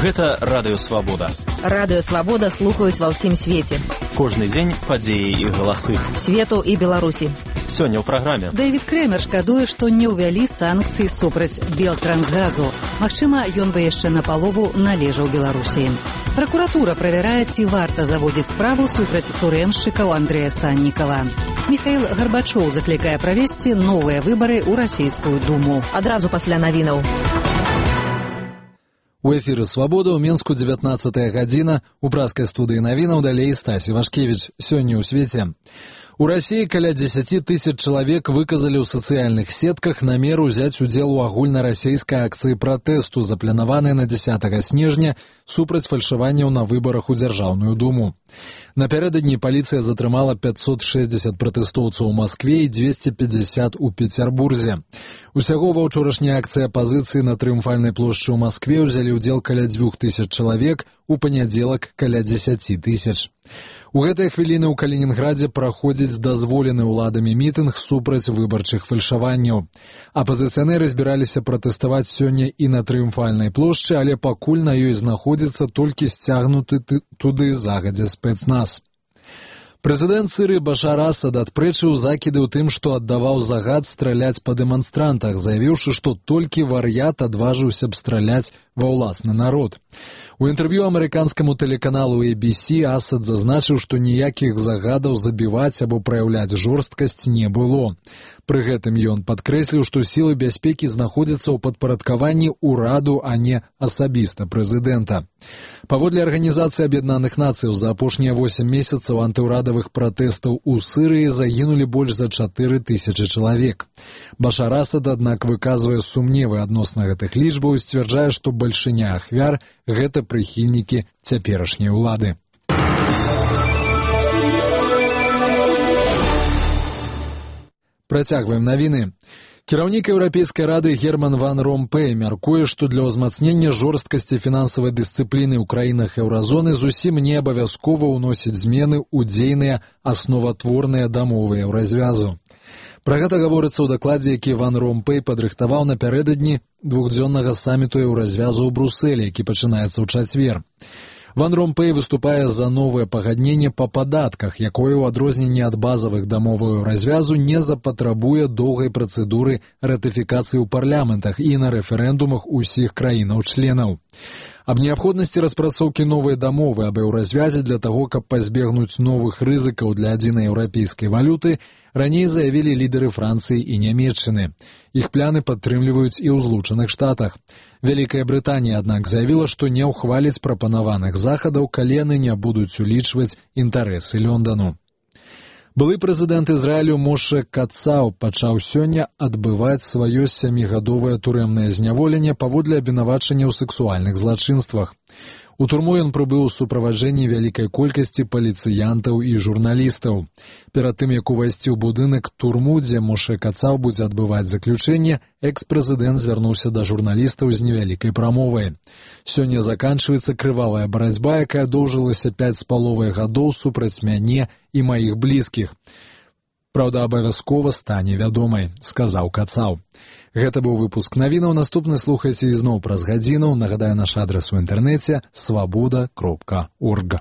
Гэта Радыё Свабода. Радыё Свабода слухаюць ва ўсім свеце. Кожны дзень падзеі і галасы. Свету і Беларусі. Сёння ў праграме. Дэвід Крэмер шкадуе, што не ўвялі санкцыі супраць Белтрансгазу. Магчыма, ён бы яшчэ напалову належаў Беларусі. Пракуратура правярае, ці варта заводзіць справу супраць турэмшчыкаў Андрэя Саннікава. Міхаіл Гарбачоў заклікае правесці новыя выбары ў расійскую думу. Адразу пасля навінаў. У эфіры «Свабода» ў Менску 19 гадзіна. У праскай студыі навінаў далей Стасі Вашкевіч. Сёння ў свеце. У Расіі каля 10 тысяч чалавек выказалі ў сацыяльных сетках намер узяць удзел у агульнарасійскай акцыі пратэсту, запланаванай на 10 снежня супраць фальшаванняў на выбарах у Дзяржаўную думу. Напярэдадні паліцыя затрымала 560 пратэстоўцаў у Маскве і 250 у Пецярбурзе. Усяго ва ўчорашняй акцыі апазіцыі на Трыумфальнай плошчы ў Маскве ўзялі ўдзел каля 2000 чалавек, у панядзелак каля 10 тысяч. У гэтыя хвіліны ў Калінінградзе праходзіць дазволены ўладамі мітынг супраць выбарчых фальшаванняў. Апазіцыянеры збіраліся пратэставаць сёння і на Трыумфальнай плошчы, але пакуль на ёй знаходзіцца толькі сцягнуты туды загадзя спецназ. Прэзідэнт Сірыі Башар Асад адпрэчыў закіды ў тым, што аддаваў загад страляць па дэманстрантах, заявіўшы, што толькі вар'ят адважыўся б страляць ва ўласны народ. У інтэрв'ю амерыканскаму тэлеканалу ABC Асад зазначыў, што ніякіх загадаў забіваць або праяўляць жорсткасць не было. Пры гэтым ён падкрэсліў, што сілы бяспекі знаходзяцца ў падпарадкаванні ўраду, а не асабіста прэзідэнта. Паводле Арганізацыі Аб'яднаных Нацыяў, за апошнія 8 месяцаў антыўрадавых пратэстаў у Сірыі загінулі больш за 4000 чалавек. Башар Асад, аднак, выказвае сумневы адносна гэтых лічбаў і сцвярджае, што бальшыня ахвяр – гэта прыхільнікі цяперашняй улады. Працягваем навіны. Кіраўнік Еўрапейскай рады Герман Ван Ромпэй мяркуе, што для ўзмацнення жорсткасці фінансавай дысцыпліны ў краінах еўразоны зусім не абавязкова ўносіць змены ў дзейныя асноватворныя дамовы еўразвязу. Пра гэта гаворыцца ў дакладзе, які Ван Ромпэй падрыхтаваў напярэдадні двухдзённага саміту еўразвязу ў Брусэлі, які пачынаецца ў чацвер. Ван Ромпэй выступае за новае пагадненне па падатках, якое ў адрозненні ад базавых дамоваў еўразвязу не запатрабуе доўгай працэдуры ратыфікацыі ў парламентах і на рэферэндумах усіх краінаў-членаў. Аб неабходнасці распрацоўкі новай дамовы аб еўразвязе для таго, каб пазбегнуць новых рызыкаў для адзінай еўрапейскай валюты, раней заявілі лідары Францыі і Нямецчыны. Іх пляны падтрымліваюць і ў Злучаных Штатах. Вялікая Брытанія, аднак, заявіла, што не ўхваліць прапанаваных захадаў, калі яны не будуць улічваць інтарэсы Лондану. Былы прэзідэнт Ізраілю Моше Кацаў пачаў сёння адбываць сваё 7гадовае турэмнае зняволенне паводле абвінавачання ў сексуальных злачынствах. У турму ён прыбыў у суправаджэнні вялікай колькасці паліцыянтаў і журналістаў. Перад тым, як увайсці ў будынак турму, дзе Моше Кацаў будзе адбываць заключэнне, экс-прэзідэнт звярнуўся да журналістаў з невялікай прамовай. Сёння заканчваецца крывавая барацьба, якая доўжылася 5,5 гадоў супраць мяне і маіх блізкіх. Праўда, абавязкова стане вядомай, сказаў Кацаў. Гэта быў выпуск навінаў. Наступны слухайце ізноў праз гадзіну. Нагадаю, наш адрас у інтэрнэце – swaboda.org.